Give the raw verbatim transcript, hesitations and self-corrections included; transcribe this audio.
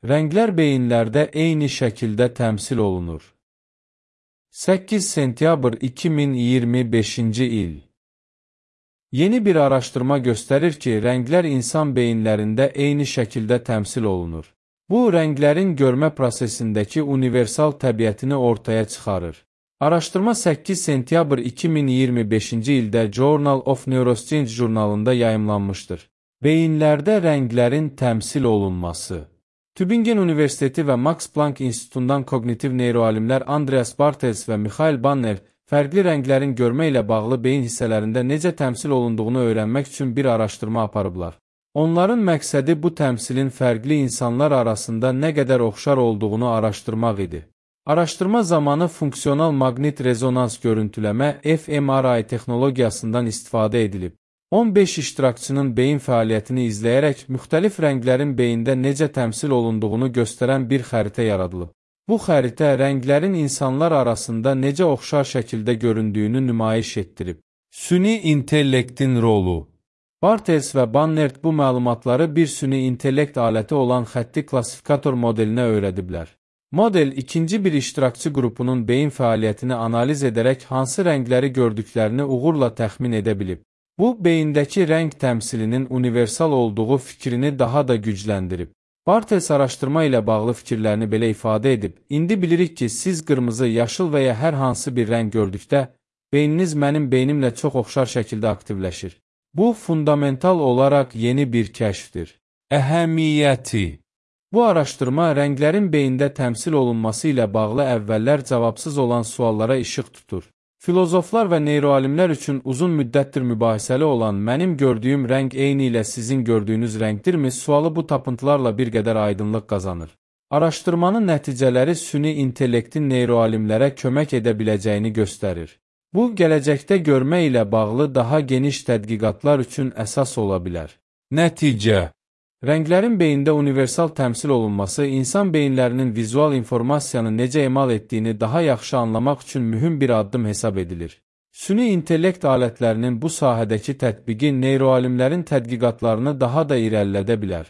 Rənglər beyinlərdə eyni şəkildə təmsil olunur. səkkiz sentyabr iki min iyirmi beşinci il. Yeni bir araşdırma göstərir ki, rənglər insan beyinlərində eyni şəkildə təmsil olunur. Bu, rənglərin görmə prosesindəki universal təbiətini ortaya çıxarır. Araşdırma səkkiz sentyabr iki min iyirmi beşinci ildə Journal of Neuroscience jurnalında yayımlanmışdır. Beyinlərdə rənglərin təmsil olunması. Tübingen Universiteti və Max Planck İnstitutundan kognitiv neyroalimlər Andreas Bartels və Mikhail Banner fərqli rənglərin görmə ilə bağlı beyin hissələrində necə təmsil olunduğunu öyrənmək üçün bir araşdırma aparıblar. Onların məqsədi bu təmsilin fərqli insanlar arasında nə qədər oxşar olduğunu araşdırmaq idi. Araşdırma zamanı funksional maqnit rezonans görüntüləmə F M R I texnologiyasından istifadə edilib. on beş iştirakçının beyin fəaliyyətini izləyərək müxtəlif rənglərin beyində necə təmsil olunduğunu göstərən bir xəritə yaradılıb. Bu xəritə rənglərin insanlar arasında necə oxşar şəkildə göründüyünü nümayiş etdirib. Süni intellektin rolu. Bartels və Bannert bu məlumatları bir süni intellekt aləti olan xətti klassifikator modelinə öyrədiblər. Model ikinci bir iştirakçı qrupunun beyin fəaliyyətini analiz edərək hansı rəngləri gördüklərini uğurla təxmin edə bilib. Bu, beyindəki rəng təmsilinin universal olduğu fikrini daha da gücləndirib. Bartels araşdırma ilə bağlı fikirlərini belə ifadə edib, indi bilirik ki, siz qırmızı, yaşıl və ya hər hansı bir rəng gördükdə, beyniniz mənim beynimlə çox oxşar şəkildə aktivləşir. Bu, fundamental olaraq yeni bir kəşfdir. Əhəmiyyəti. Bu araşdırma rənglərin beyində təmsil olunması ilə bağlı əvvəllər cavabsız olan suallara işıq tutur. Filozoflar və neyroalimlər üçün uzun müddətdir mübahisəli olan mənim gördüyüm rəng eyni ilə sizin gördüyünüz rəngdirmi sualı bu tapıntılarla bir qədər aydınlıq qazanır. Araşdırmanın nəticələri süni intellektin neyroalimlərə kömək edə biləcəyini göstərir. Bu, gələcəkdə görmə ilə bağlı daha geniş tədqiqatlar üçün əsas ola bilər. Nəticə. Rənglərin beyində universal təmsil olunması insan beyinlərinin vizual informasiyanı necə emal etdiyini daha yaxşı anlamaq üçün mühüm bir addım hesab edilir. Süni intellekt alətlərinin bu sahədəki tətbiqi neyroalimlərin tədqiqatlarını daha da irəlilədə bilər.